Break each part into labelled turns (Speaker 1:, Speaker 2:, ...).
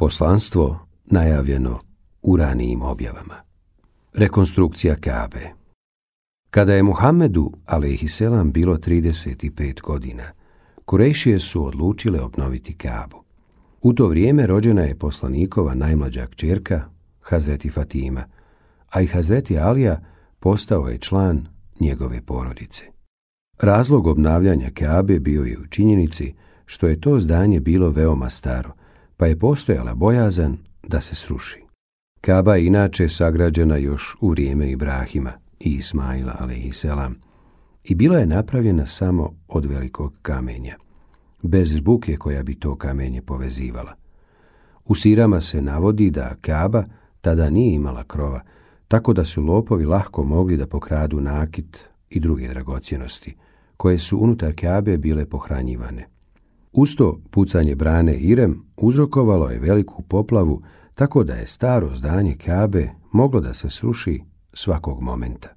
Speaker 1: Poslanstvo najavljeno u ranijim objavama. Rekonstrukcija Kabe. Kada je Muhammedu alejhiselam bilo 35 godina, Kurejšije su odlučile obnoviti Kabu. U to vrijeme rođena je poslanikova najmlađa kćerka, Hazreti Fatima, a i Hazreti Alija postao je član njegove porodice. Razlog obnavljanja Kabe bio je u činjenici što je to zdanje bilo veoma staro, pa je postojala bojazan da se sruši. Kaba je inače sagrađena još u vrijeme Ibrahima i Ismaila alejhiselam i bila je napravljena samo od velikog kamenja, bez žbuke koja bi to kamenje povezivala. U sirama se navodi da Kaba tada nije imala krova, tako da su lopovi lahko mogli da pokradu nakit i druge dragocjenosti, koje su unutar Kabe bile pohranjivane. Uz to pucanje brane Irem uzrokovalo je veliku poplavu, tako da je staro zdanje Kabe moglo da se sruši svakog momenta.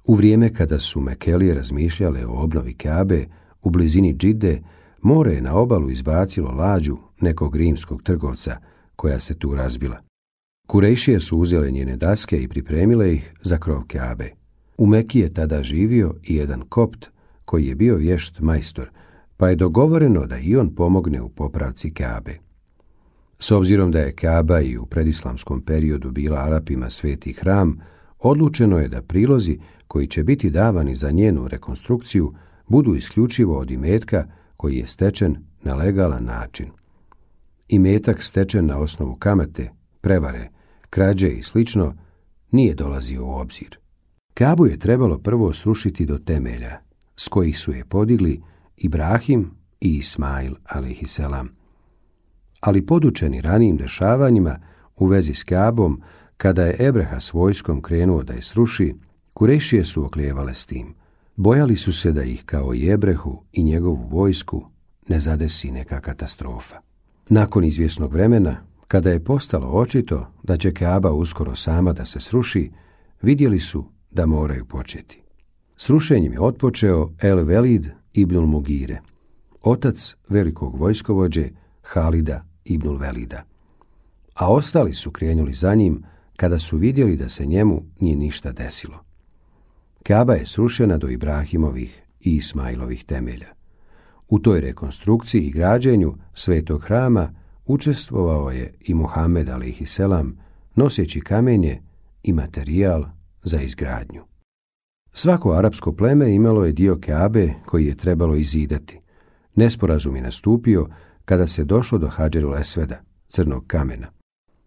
Speaker 1: U vrijeme kada su Mekelije razmišljale o obnovi Kabe, u blizini Džide, more je na obalu izbacilo lađu nekog rimskog trgovca koja se tu razbila. Kurejšije su uzele njene daske i pripremile ih za krov Kabe. U Meki je tada živio i jedan kopt koji je bio vješt majstor, pa je dogovoreno da i on pomogne u popravci Kabe. S obzirom da je Kaba i u predislamskom periodu bila Arapima sveti hram, odlučeno je da prilozi koji će biti davani za njenu rekonstrukciju budu isključivo od imetka koji je stečen na legalan način. Imetak stečen na osnovu kamate, prevare, krađe i slično nije dolazio u obzir. Kabu je trebalo prvo srušiti do temelja, s kojih su je podigli Ibrahim i Ismail alejhiselam. Ali podučeni ranijim dešavanjima u vezi s Kabom, kada je Ebreha s vojskom krenuo da je sruši, Kurejšije su oklijevale s tim. Bojali su se da ih kao i Ebrehu i njegovu vojsku ne zadesi neka katastrofa. Nakon izvjesnog vremena, kada je postalo očito da će Kaba uskoro sama da se sruši, vidjeli su da moraju početi. Srušenjem je otpočeo El Velid ibnul Mugire, otac velikog vojskovođe Halida ibnul Velida. A ostali su krenuli za njim kada su vidjeli da se njemu nije ništa desilo. Kaba je srušena do Ibrahimovih i Ismailovih temelja. U toj rekonstrukciji i građenju svetog hrama učestvovao je i Muhammed alejhiselam, noseći kamenje i materijal za izgradnju. Svako arapsko pleme imalo je dio Kabe koji je trebalo izidati. Nesporazum je nastupio kada se došlo do Hadžerul Esveda, crnog kamena.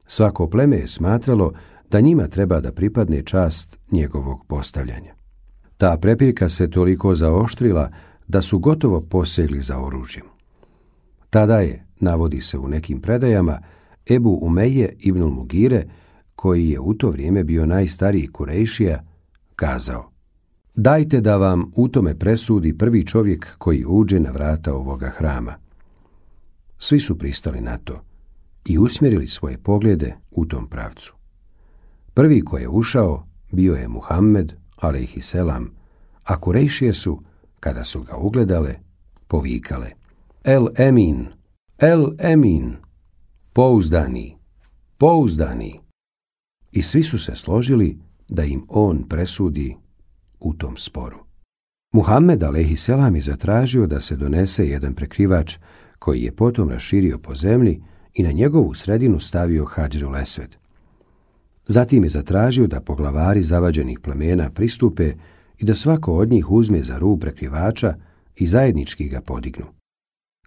Speaker 1: Svako pleme je smatralo da njima treba da pripadne čast njegovog postavljanja. Ta prepirka se toliko zaoštrila da su gotovo posegli za oružjem. Tada je, navodi se u nekim predajama, Ebu Umeje ibnul Mugire, koji je u to vrijeme bio najstariji Kurejšija, kazao: "Dajte da vam u tome presudi prvi čovjek koji uđe na vrata ovoga hrama." Svi su pristali na to i usmjerili svoje poglede u tom pravcu. Prvi koji je ušao bio je Muhammed alejhiselam, a Kurejšije su, kada su ga ugledale, povikale: "El Emin, El Emin, pouzdani, pouzdani." I svi su se složili da im on presudi u tom sporu. Muhammed alejhiselam je zatražio da se donese jedan prekrivač koji je potom raširio po zemlji i na njegovu sredinu stavio Hadžerul Esved. Zatim je zatražio da poglavari zavađenih plemena pristupe i da svako od njih uzme za rub prekrivača i zajednički ga podignu.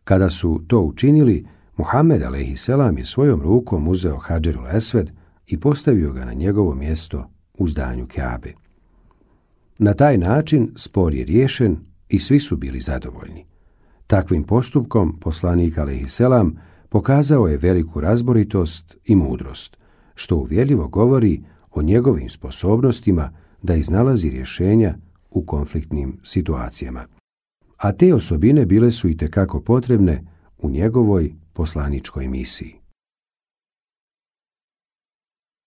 Speaker 1: Kada su to učinili, Muhammed alejhiselam je svojom rukom uzeo Hadžerul Esved i postavio ga na njegovo mjesto u zdanju Kabe. Na taj način spor je riješen i svi su bili zadovoljni. Takvim postupkom poslanik alejhiselam pokazao je veliku razboritost i mudrost, što uvjerljivo govori o njegovim sposobnostima da iznalazi rješenja u konfliktnim situacijama. A te osobine bile su itekako potrebne u njegovoj poslaničkoj misiji.